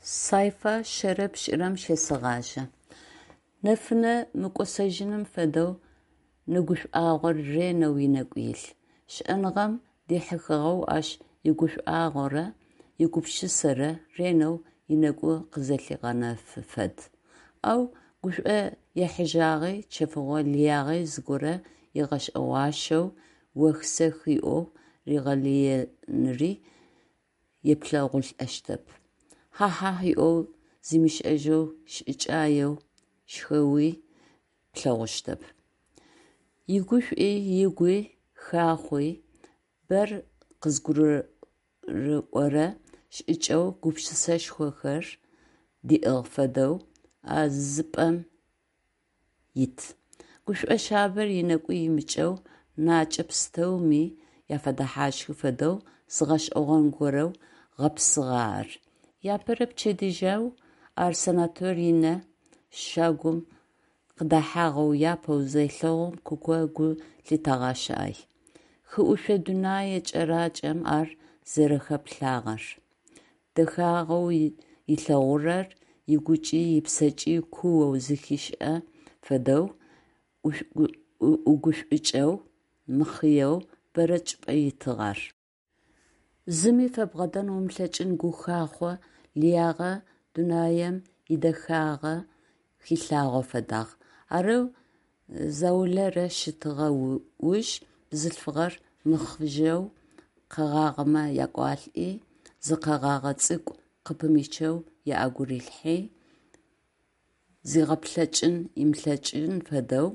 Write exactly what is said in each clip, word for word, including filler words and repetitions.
Сайфа шъэрэ пшӏырэм щесэгъажьэ. Нэфынэ мыкӏосэжьыным фэдэу нэгушӏуагъор ренэу ынэгу илъ. Щыӏэныгъэм дихьыхыгъэу ащ игушӏуагъорэ игупшысэрэ ренэу ынэгу къызэлъигъэнэфы фэд. Ау гушӏо ехьыжьагъи, чэфыгъо лыягъи зыгорэ ыгъэшӏэгъуащэу, ох-сэх ыӏоу ригъэлыеныри еплъэгъулӏэщтэп. Хьа-хьахь ыӏоу зимышӏэжьэу шӏыкӏаеу щхэуи плъэгъущтэп. Игушӏуи, ыгуи хахъуи, бэр къызгурыӏорэ шӏыкӏэу гупшысэшхохэр диӏыгъ фэдэу а зыпӏэм ит. Гушӏо шъабэр ынэгу имыкӏэу, накӏэ пстэуми яфэдэхьащхы фэдэу зы гъэшӏэгъон горэу гъэпсыгъэ ар. Иапэрэ пчэдыжьэу ар санаторие щагум къыдэхьагъэу апэу зелъэгъум Куко гу лъитэгъащ ай. Хыӏушъо дунэе кӏэракӏэм ар зэрэхэплъагъэр, дэхагъэу ылъэгъурэр ыгукӏи ыпсэкӏи куоу зэхишӏэ фэдэу, ӏугушӏукӏэу, мыхъыеу бэрэ чӏыпӏэ итыгъ ар. Зыми фэбгъэдэн умылъэкӏын гухахъо лыягъэ дунаим идэхагъэ хилъагъо фэдагъ. Арэу заулэрэ щытыгъэ уж бзылъфыгъэр мыхъыжьэу къэгъагъэмэ якӏуалӏи, зы къэгъагъэ цӏыкӏу къыпымычэу ыӏэгу рилъхьи, зигъэплъэкӏын ымылъэкӏын фэдэу,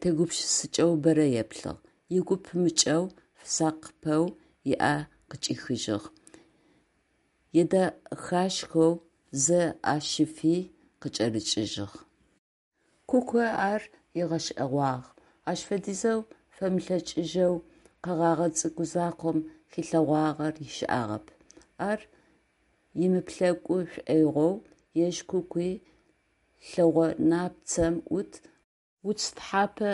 тегупшысыкӏэу бэрэ еплъыгъ, ыгу пымыкӏэу, фэсакъыпэу ыӏэ къыкӏихыжьыгъ, едэхашхэу зэ ӏэ щифи къыкӏэрыкӏыжьыгъ. Куко ар ыгъэшӏэгъуагъ: ащ фэдизэу фэмылъэкӏыжьэу къэгъагъэ цӏыкӏу закъом хилъэгъуагъэр ышӏагъэп. Ар ымыуплъэкӏу шӏоигъоу ежь Кукуи лъэгъо напцэм ӏут уц тхьапэ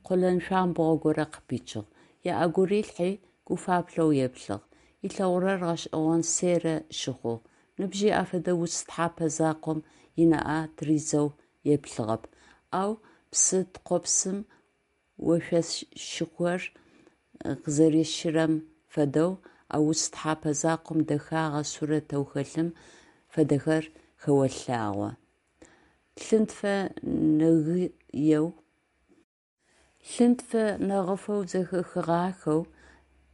къолэн шъуамбгъо горэ къыпичыгъ, ыӏэгу рилъхьи гуфаплъэу еплъыгъ. Ылъэгъурэр гъэшӏэгъон Серэ щыхъугъ. Ныбжьи афэдэ уц тхьапэ закъом ынаӏэ тыридзэу еплъыгъэп, ау псы ткӏопсым ошъошхор къызэрищырэм фэдэу, а уц тхьапэ закъом дэхагъэ сурэтэу хэлъым фэдэхэр хэолъагъо: лъынтфэ нэгыеу лъынтфэ нэгъыфэу зэхэхыгъахэу,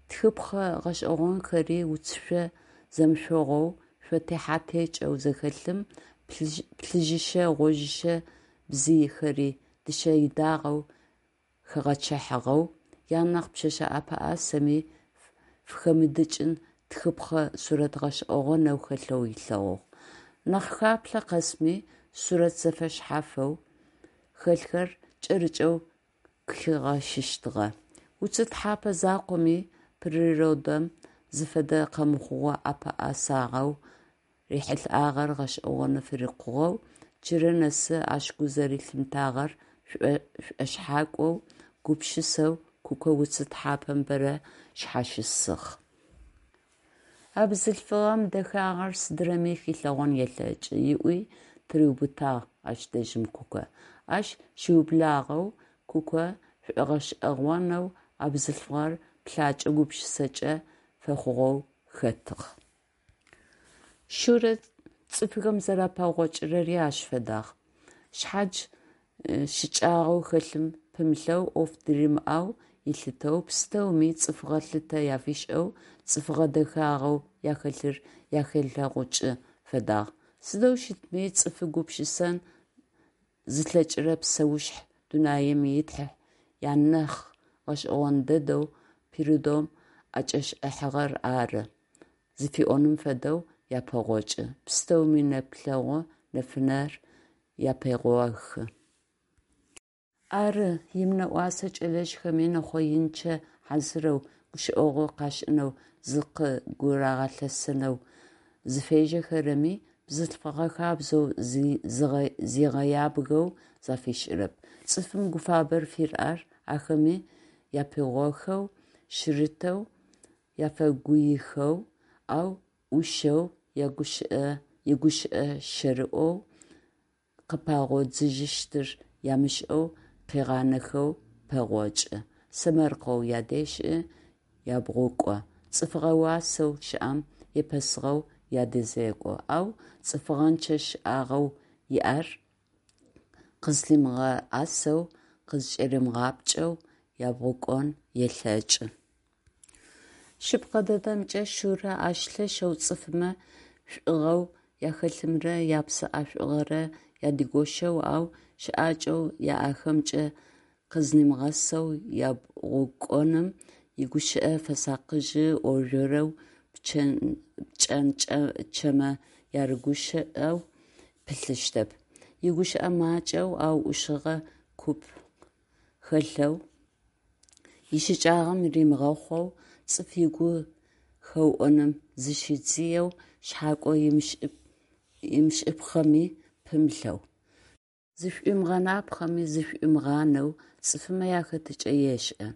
тхыпхъэ гъэшӏэгъонхэри уцышъо зэмышъогъоу шъо техьэ-текӏэу зэхэлъым плъыжьышэ-гъожьышэ бзыйхэри дышъэ идагъэу хэгъэчъыхьагъэу, анахь пшъэшъэ ӏэпэӏасэми фыхэмыдыкӏын тхыпхъэ сурэт гъэшӏэгъонэу хэлъэу ылъэгъугъ. Нахь хаплъэ къэсми сурэт зэфэшъхьафэу хэлъхэр кӏэрыкӏэу къыхигъэщыщтыгъэ. Уцы тхьапэ закъоми природэм зыфэдэ къэмыхъугъэ ӏэпэӏэсагъэу рихьылӏагъэр гъэшӏэгъоны фырикъугъэу, джырэ нэсы ащ гу зэрэлъимытагъэр шӏошъхьакӏоу, гупшысэу Куко уцы тхьапэм бэрэ шъхьащысыгъ. А бзылъфыгъэм дэхагъэр сыдырэми хилъэгъон елъэкӏы, ыӏуи тыриубытагъ ащ дэжьым Куко. Ащ щыублагъэу Куко шӏогъэшӏэгъонэу а бзылъфыгъэр плъакӏэ-гупшысакӏэ фэхъугъэу хэтыгъ. Шурэ цӏыфхэм зэрапэгъокӏырэри ащ фэдагъ. Шъхьадж щыкӏагъэу хэлъым пымылъэу, ӏоф дыримыӏэу ылъытэу, пстэуми цӏыфыгъэ лъытэ афишӏэу, цӏыфыгъэ дэхагъэу ахэлъыр ахелъэгъукӏы фэдагъ. Сыдэу щытми, цӏыфы гупшысэн зылъэкӏырэ псэушъхь дунаим итхь анахь гъэшӏэгъон дэдэу природэм ӏэкӏэшӏыхьагъэр ары зыфиӏоным фэдэу япэгъокӏы, пстэуми нэплъэгъу нэфынэр япегъохы. Ары, имынэӏосэ кӏэлэжъхэми нэхъоинчъэ хьазырэу гущыӏэгъу къашӏынэу зыкъыгурагъэлъэсэнэу зыфежьэхэрэми, бзылъфыгъэ хабзэу зигъэябгэу зафишӏырэп, цӏыфым гуфабэр фыряӏэр ахэми япигъохэу, шъырытэу, яфэгуихэу, ау ӏушэу ягущыӏэ игущыӏэ щэрыоу, къыпагъодзыжьыщтыр ямышӏэу къыгъанэхэу пэгъокӏы, сэмэркъэу ядешӏы, ябгъукӏо, цӏыфыгъэ уасэу щыӏэм епэсыгъэу ядэзекӏо, ау цӏыфыгъэнчъэ шӏагъэу иӏэр къызлъимыгъэӏэсэу, къызкӏэримыгъапкӏэу ябгъукӏон елъэкӏы. Шъыпкъэ дэдэмкӏэ, Шурэ ащ лъэшэу цӏыфмэ шӏугъэу ахэлъымрэ япсэ ӏэшӏугъэрэ ядигощэу, ау щыӏакӏэу яӏэхэмкӏэ къызнимыгъэсэу ябгъукӏоным, игущыӏэ фэсакъыжьы ӏоржъорэу, пкӏэнчъэмэ ярыгущыӏэу пылъыщтэп. Игущыӏэ макӏэу, ау ӏушыгъэ купкъ хэлъэу, ищыкӏагъэм римыгъэхъоу, цӏыф ыгу хэуӏоным зыщидзыеу, шъхьакӏо имышӏыпхъэми пымылъэу. Зышӏуимыгъэнапхъэми зышӏуимыгъанэу цӏыфмэ яхэтыкӏэ ешӏэ.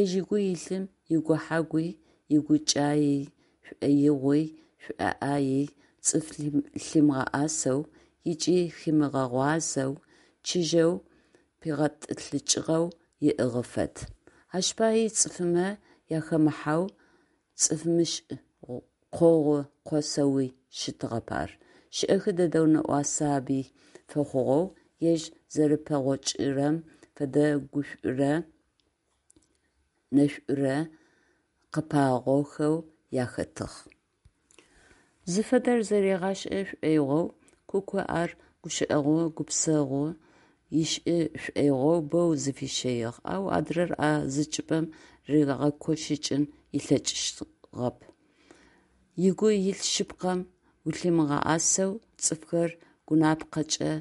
Ежь ыгу илъым игухьэгуи, игукӏаий, шӏоигъуи, шӏуӏаий цӏыф лъимыгъэӏэсэу ыкӏи химыгъэгъуазэу, чыжьэу пигъэтӏылъыкӏыгъэу ыӏыгъы фэд. Ащ паий цӏыфмэ ахэмыхьэу, цӏыфмышӏ къогъу къосэуи щытыгъэп ар. Шӏэхы дэдэу нэӏуасаби фэхъугъэу, ежь зэрэпэгъокӏырэм фэдэ гушӏурэ нэшӏурэ къыпагъохэу яхэтыгъ. Зыфэдэр зэригъашӏэ шӏоигъоу, Куко ар гущыӏэгъу-гупсэгъу ышӏы шӏоигъоу боу зыфищэигъ, ау адрэр а зы чӏыпӏэм ригъэкощыкӏын ылъэкӏыгъэп. Ыгу илъ шъыпкъэм улъимыгъэӏэсэу цӏыфхэр гъунапкъэкӏэ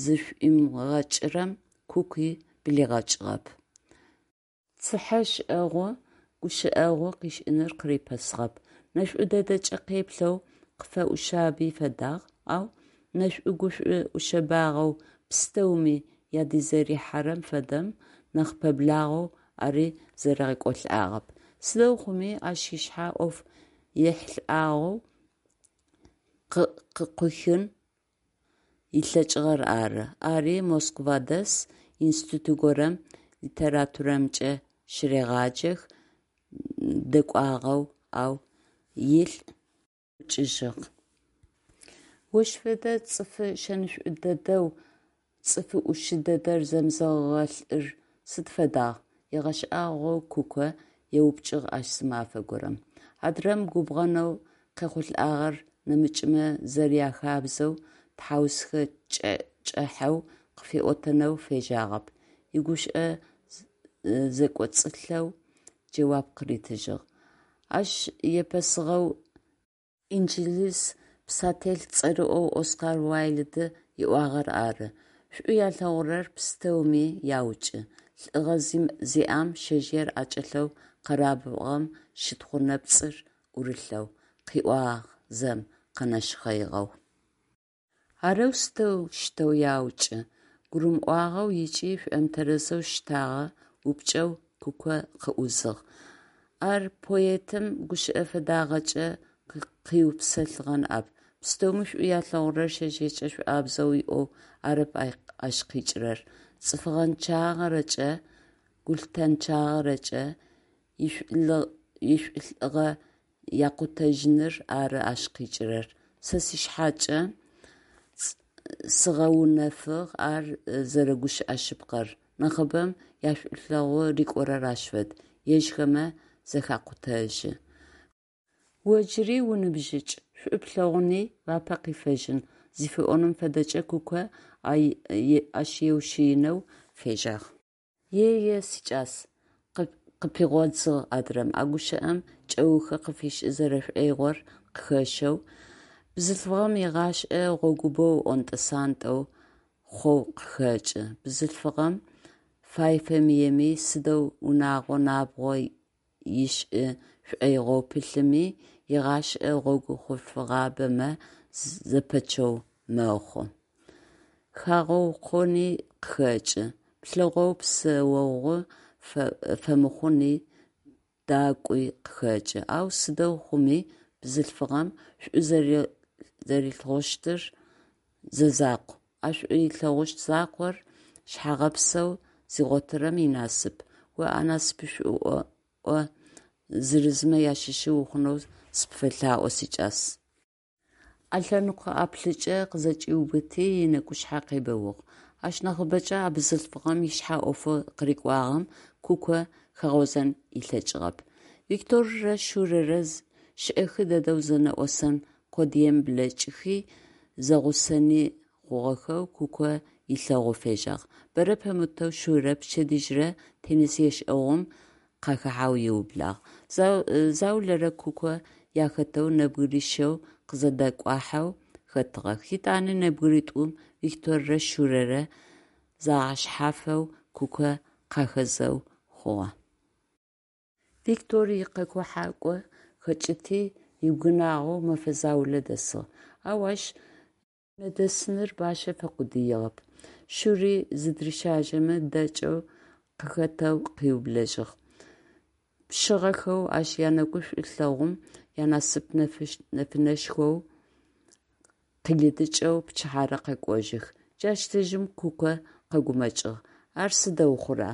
зышӏуимыгъэкӏырэм Куки блигъэкӏыгъэп. Цыхьэшӏэгъу гущыӏэгъу къышӏыныр къырипэсыгъэп. Нэшӏу дэдэкӏэ къеплъэу къыфэӏушъаби фэдагъ, ау нэшӏу-гушӏу ӏушъэбагъэу пстэуми ядызэрихьэрэм фэдэм нахь пэблагъэу ари зэригъэкӏолӏагъэп. Сыдэу хъуми, ащ ышъхьэ ӏоф ехьылӏагъэу къыкъуихын ылъэкӏыгъэр ары. Ари Москва дэс, институт горэм литературэмкӏэ щырегъаджэх, дэкӏуагъэу, ау илӏ ӏукӏыжьыгъ. Ощ фэдэ цӏыфы шэнышӏо дэдэу, цӏыфы ӏушы дэдэр зэмызэгъыгъэ лӏыр сыд фэдагъ? – ыгъэшӏагъоу Куко еупчӏыгъ ащ зы мафэ горэм. Адрэм губгъэнэу къехъулӏагъэр нэмыкӏмэ зэряхабзэу тхьаусхэ кӏыхьэу къыфиӏотэнэу фежьагъэп, игушӏо зэкӏоцӏылъэу джэуап къыритыжьыгъ: Ащ епэсыгъэу инджылыз писатель цӏэрыӏоу Оскар Уайльды ыӏуагъэр ары: «Шӏу алъэгъурэр пстэуми яукӏы, лӏыгъэ зиӏэм шъэжъыер ӏэкӏэлъэу къэрабгъэм щытхъу нэпцӏыр ӏурылъэу…», – къыӏуагъ зэм къэнэшхъэигъэу. Арэу сыдэущтэу яукӏы? – гурымыӏуагъэу ыкӏи шӏомытэрэзэу штэгъэ упчӏэу Куко къыӏузыгъ. Ар поэтым гущыӏэ фэдагъэкӏэ къыупсэлъыгъэ ныӏэп. Пстэуми шӏу алъэгъурэр шъэжъыекӏэ шӏуабзэу ыӏоу арэп ащ къикӏырэр, цӏыфыгъэнчъагъэрэкӏэ, гулъытэнчъагъэрэкӏэ ишӏулӏыгъэ якъутэжьыныр ары ащ къикӏырэр. Сэ сшъхьэкӏэ сыгъэунэфыгъ ар зэрэгущыӏэ шъыпкъэр: нахьыбэм яшӏулъэгъу рикӏорэр ащ фэд: ежьхэмэ зэхакъутэжьы. О джыри уныбжьыкӏ, шӏу плъэгъуни уапэ къифэжьын, – зыфиӏоным фэдэкӏэ Куко ащ еушъыинэу фежьагъ. Е-е, сикӏас, – къыпигъодзыгъ адрэм, а гущыӏэм кӏэухы къыфишӏы зэрэшӏоигъор къыхэщэу, – бзылъфыгъэм игъашӏэ гъогу боу ӏонтӏэ-сантӏэ хъоу къыхэкӏы. Бзылъфыгъэм, фай-фэмыеми, сыдэу унагъо набгъо ышӏы шӏоигъоу пылъыми, игъашӏэ гъогу хъулъфыгъабэмэ зэпэчъэу мэхъу. Хагъэукъони къыхэкӏы, плъэгъоу псэогъу фэмыхъуни дакӏуи къыхэкӏы, ау сыдэу хъуми бзылъфыгъэм шӏу зэрилъэгъущтыр зэзакъу, а шӏу ылъэгъущт закъор шъхьэгъэпсэу зигъотырэм инасып. О а насыпышӏо зырызмэ ащыщы ухъунэу сыпфэлъаӏо, сикӏас. Ӏэлъэныкъо ӏаплӏыкӏэ къызэкӏиубыти, ынэкӏушъхьэ къебэугъ. Ащ нахьыбэкӏэ а бзылъфыгъэм ышъхьэ ӏофэу къырыкӏуагъэм Куко хигъозэн ылъэкӏыгъэп. Викторырэ Шурэрэ шӏэхы дэдэу зэнэӏосэн къодыем блэкӏыхи, зэгъусэни хъугъэхэу Куко ылъэгъоу фежьагъ. Бэрэ пэмытэу Шурэ пчэдыжьрэ теннис ешӏэгъум къахэхьэу ыублагъ. Заулэрэ Куко ахэтэу нэбгырищэу къызэдакӏухьэу хэтыгъэх, етӏанэ нэбгыритӏум – Викторрэ Шурэрэ загъэшъхьафэу Куко къахэзэу хъугъэ. Виктор икъэкӏухьакӏо хэкӏыти, ыбгынагъэу мэфэ заулэ дэсыгъ. Ау ащ унэдэсыныр бащэ фэкъудыигъэп, Шури зыдырищажьэмэ дэкӏэу къыхэтэу къыублэжьыгъ. Пшъыгъэхэу ащ янэгушӏу лъэгъум янасып нэфынэшхоу къилыдыкӏэу пчыхьэрэ къэкӏожьых. Джащ дэжьым Куко къэгумэкӏыгъ: ар сыдэу хъура?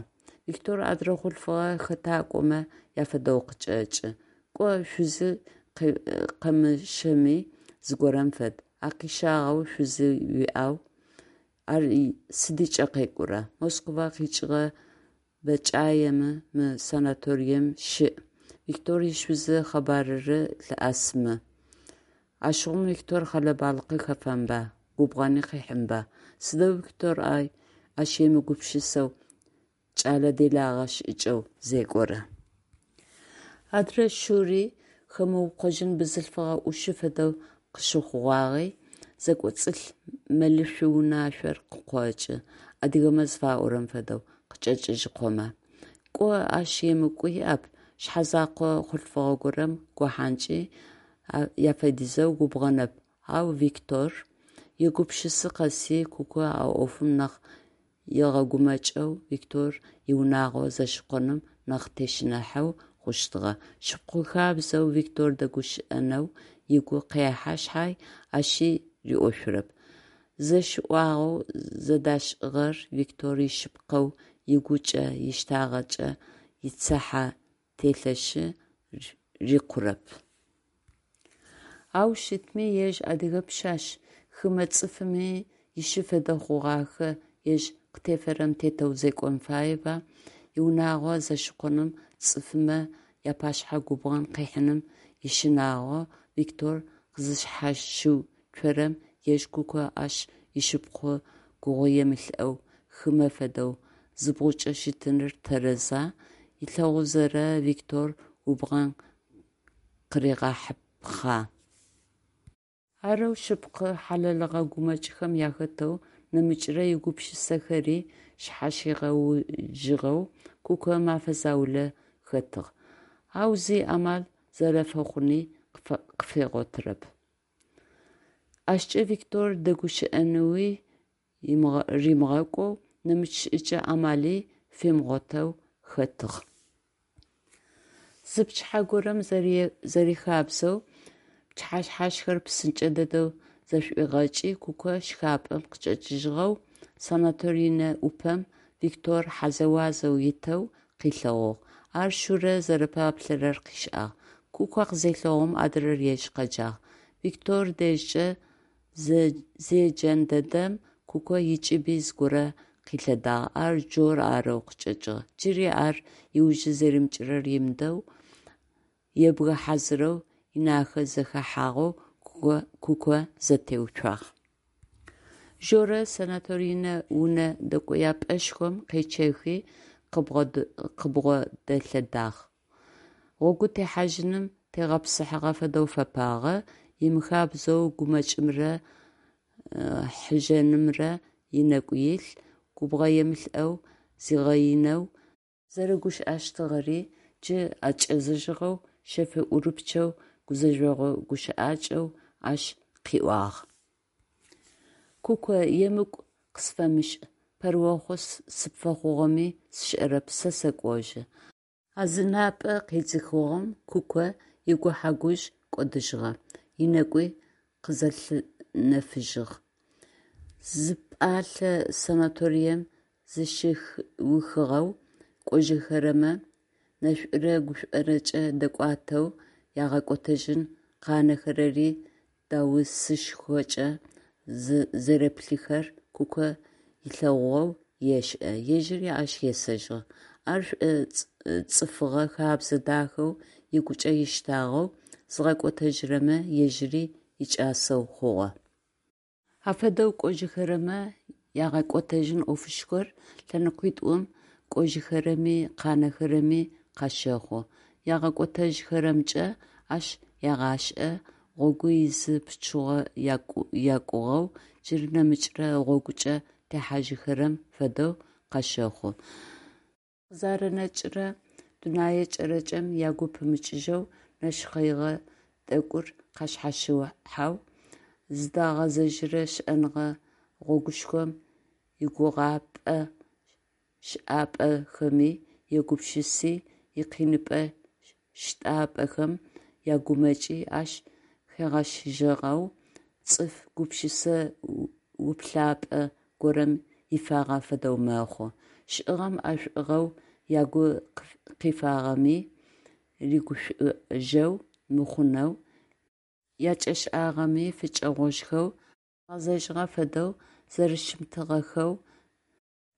Виктор адрэ хъулъфыгъэ хэтакӏомэ афэдэу къычӏэкӏы. Кӏо шъузи къэмыщэми зыгорэм фэд, а къищагъэу шъузи уиӏэу, ар сыдыкӏэ къекӏура? Москва къикӏыгъэ бэкӏаемэ мы санаторием щыӏ, Виктор ишъузы къэбарыры лъыӏэсымэ? Ащыгъум Виктор хьэлэ-балыкъы хэфэнба, губгъэни къыхьынба? Сыдэу Виктор ащ емыгупшысэу, кӏэлэ делагъэ шӏыкӏэу зекӏора? Адрэ Шури хэмыукъожьын бзылъфыгъэ ӏушы фэдэу къыщыхъугъагъи, зэкӏоцӏылъ мэлышъу унашъор къыкъокӏы, адыгэмэ зыфаӏорэм фэдэу, къычӏэкӏыжьыкъомэ. Кӏо ащ емыкӏу иӏэп, шъхьэзэкъо хъулъфыгъэ горэм гохьанкӏи афэдизэу губгъэнэп, ау Виктор... Егупшысы къэси Куко а ӏофым нахь ыгъэгумэкӏэу, Виктор иунагъо зэщыкъоным нахь тещыныхьэу хъущтыгъэ. Шыпхъу хабзэу Виктор дэгущыӏэнэу ыгу къехьэ шъхьай, ащи риӏошъурэп. Зэш ӏуагъэу зэдашӏыгъэр Виктор ишъыпкъэу ыгукӏэ ыштагъэкӏэ ицыхьэ телъышъ, рикъурэп. Ау щытми, ежь адыгэ пшъашъ, хымэ цӏыфми ышы фэдэ хъугъахэ ежь къытефэрэм тетэу зекӏон фаеба? Иунагъо зэщыкъоным, цӏыфмэ апашъхьэ губгъэн къыхьыным ищынагъо Виктор къызышъхьащыуцорэм, ежь Куко ащ ышыпхъу гугъуемылӏэу, хымэ фэдэу, зыбгъукӏэ щытыныр тэрэза? Ылъэгъузэрэ Виктор губгъэн къыригъахьыпхъа? Арэу шъыпкъэ, хьалэлыгъэ гумэкӏхэм ахэтэу, нэмыкӏрэ игупшысэхэри шъхьащигъэужьыгъэу Куко мэфэ заулэ хэтыгъ, ау зи амал зэрэфэхъуни къыфэгъотырэп. Ащкӏэ Виктор дэгущыӏэнэуи римыгъэкӏоу, нэмыкӏ шӏыкӏэ амали фимыгъотэу хэтыгъ. Зы пчыхьэ горэм, зэрихабзэу, пчыхьэшъхьашхэр псынкӏэ дэдэу зэшӏуигъэкӏи, Куко шхапӏэм къычӏэкӏыжьыгъэу санаторинэ ӏупэм Виктор хьазэуазэу итэу къылъэгъугъ. Ар Шурэ зэрэпаплъэрэр къышӏагъ. Куко къызелъэгъум, адрэр ежь къэджагъ. Виктор дэжькӏэ зеджэн дэдэм Куко ыкӏыби зыгорэ къилъэдагъ, ар Жор арэу къычӏэкӏыгъ. Джыри ар ыужы зэримыкӏырэр ымыдэу, ебгэ хьазырэу, ынахэ зэхэхьагъэу Куко зэтеуцуагъ. Жорэ санаторинэ унэ дэкӏояпӏэшхом къечъэхи къыбгъодэлъэдагъ. Гъогу техьажьыным тегъэпсыхьагъэ фэдэу фэпагъэ, имыхабзэу гумэкӏымрэ хъыжъэнымрэ ынэгу илъ, губгъэемылӏэу зигъэинэу зэрэгущыӏэщтыгъэри джы ӏэкӏэзыжьыгъэу, шъэф ӏурыпчъэу, гузэжъогъо гущыӏакӏэу ащ къыӏуагъ. Куко, емыкӏу къысфэмышӏ, пэрыохъу сыпфэхъугъэми сшӏэрэп, сэ сэкӏожьы. А зынапӏэ къедзыхыгъом Куко игухьэ-гужъ кӏодыжьыгъэ, ынэгуи къызэлъынэфыжьыгъ. Зипӏалъэ санаторием зыщиухыгъэу кӏожьыхэрэмэ нэшӏурэ гушӏорэкӏэ дэкӏуатэу, ягъэкӏотэжьын къанэхэрэри даусышхокӏэ зэреплъыхэр Куко ылъэгъугъэу ешӏэ, ежьыри ащ есэжьыгъ. Ар шӏоцӏыфыгъэ хэбзэ дахэу ыгукӏэ ыштагъэу, зыгъэкӏотэжьырэмэ ежьыри якӏасэу хъугъэ. Афэдэу кӏожьыхэрэмэ ягъэкӏотэжьын ӏофышхор лъэныкъуитӏум – кӏожьыхэрэми къанэхэрэми къащэхъу. Ягъэкӏотэжьхэрэмкӏэ ащ ягъашӏэ гъогу изы пычыгъо якӏугъэу, джыри нэмыкӏрэ гъогукӏэ техьажьыхэрэм фэдэу къащэхъу. Къызэранэкӏырэ дунэе кӏэракӏэм ягу пымыкӏыжьэу, нэшхъэигъэ тӏэкӏур къашъхьащыхьэу, зыдагъэзэжьырэ щыӏэныгъэ гъогушхом игугъапӏэ-щыӏапӏэхэми ягупшыси, икъиныпӏэ-щтапӏэхэм ягумэкӏи ащ хэгъэщыгъэу, цӏыф гупшысэ уплъапӏэ горэм ифагъэ фэдэу мэхъу. Щыӏэныгъэм ӏэшӏугъэу ягу къифагъэми рыгушӏожьэу мыхъунэу, якӏэшӏагъэми фыкӏэгъожьхэу, къагъэзэжьыгъэ фэдэу зэрэщымытыгъэхэу,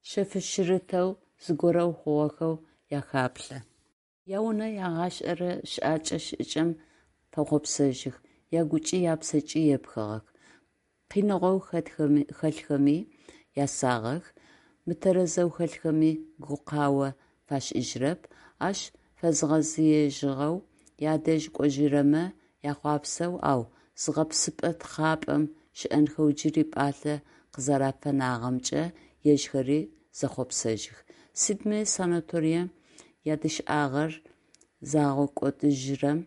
шъэфшъырытэу зыгорэу хъугъэхэу ахаплъэ. Яунэ, ягъашӏэрэ щыӏэкӏэ-шӏыкӏэм фэхъопсэжьых, ягукӏи япсэкӏи епхыгъэх. Къиныгъоу хэлъхэми ясагъэх, мытэрэзэу хэлъхэми гукъао фашӏыжьырэп, ащ фэзгъэзыежьыгъэу ядэжь кӏожьырэмэ яхъуапсэу, ау зыгъэпсэфыпӏэ-тхъапӏэм щыӏэнхэу джыри пӏалъэ къызэрафэнагъэмкӏэ ежьхэри зэхъопсэжьых. Сыдми санаторием ядышъагъэр загъэкӏодыжьырэм,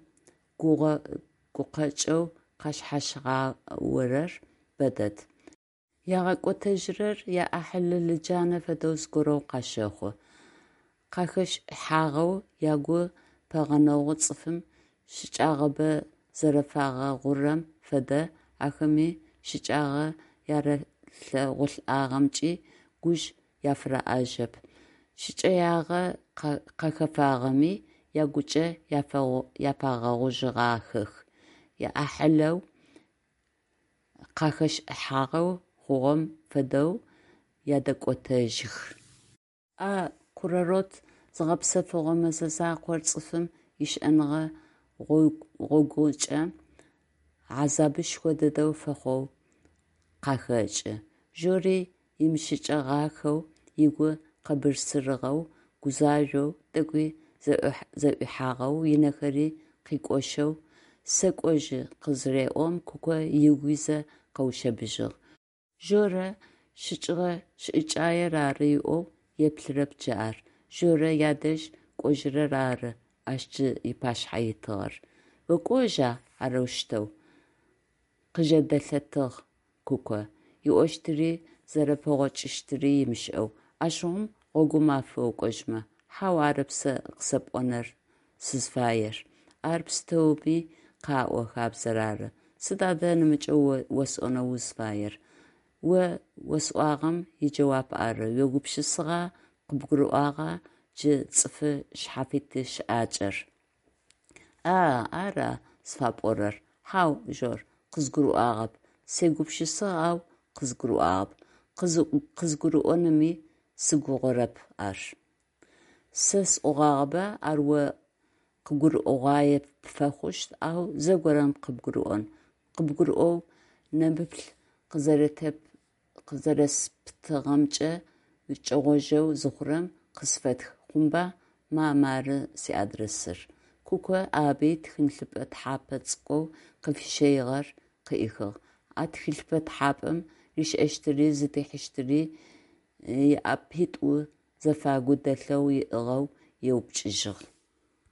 гугъэ-гукъэкӏэу къашъхьащаорэр бэдэд. Ягъэкӏотэжьырэр яӏахьыл лыджанэ фэдэу зыгорэу къащэхъу. Къахэшӏыхьагъэу, ягу пэгъунэгъу цӏыфым щыкӏагъэбэ зэрэфагъэгъурэм фэдэ, ахэми щыкӏагъэ яралъэгъулӏагъэмкӏи гужъ афыряӏэжьэп, шӏыкӏэягъэ къахэфагъэми, ягукӏэ яфэгъужьыгъахэх, яӏахьылэу къахэшӏыхьагъэу хъугъэм фэдэу ядэкӏотэжьых. А курорт зыгъэпсэфыгъо мэзэ закъор цӏыфым ищыӏэныгъэ гъогукӏэ хьазабышхо дэдэу фэхъоу къахэкӏы. Жори имыщыкӏэгъахэу ыгу къэбырсырыгъэу, гузажъоу, тӏэкӏуи зэӏуихьагъэу, ынэхэри къикӏошъэу «сэкӏожьы» къызыреӏом, Куко ыгуи зэ къэушъэбыжьыгъ. Жорэ щыкӏыгъэ шӏыкӏаер ары ыӏоу еплъырэп джы ар, Жорэ ядэжь кӏожьырэр ары ащ джы ыпашъхьэ итыгъэр. «Окӏожьа арэущтэу?!» къыжэдэлъэтыгъ Куко, ыӏощтыри зэрэпэгъокӏыщтыри ымышӏэу. «Ащыгъум гъогумаф окӏожьмэ». «Хьау, арэп сэ къысэпӏонэу сызфаер, ар пстэуми къаӏо хабзэр ары». «Сыд адэ нэмыкӏэу осӏонэу узфаер?» «О осӏуагъэм иджэуап ары, уегупшысагъа, къыбгурыӏуагъа джы цӏыфы шъхьафит щыӏакӏэр?» «А-а, ара зыфапӏорэр? Хьау, Жор, къызгурыӏуагъэп, сегупшысагъ, ау къызгурыӏуагъэп, къызгурыӏонми сыгугъэрэп ар». «Сэ сӏогъагъэба, ар о къыгурыӏогъуае пфэхъущт, ау зэгорэм къыбгурыӏон, къыбгурыӏоу нэмыплъ къызэрэсэптыгъэмкӏэ укӏэгъожьэу зыхъурэм, къысфэтх, хъунба, ма, мары сиадресыр», Куко ӏаби тхылъыпӏэ тхьапэ цӏыкӏоу къыфищэигъэр къыӏихыгъ, а тхылъыпӏэ тхьапэм ришӏэщтыри зыдихьыщтыри ыӏэпитӏу зэфагу дэлъэу ыӏыгъэу еупчӏыжьыгъ.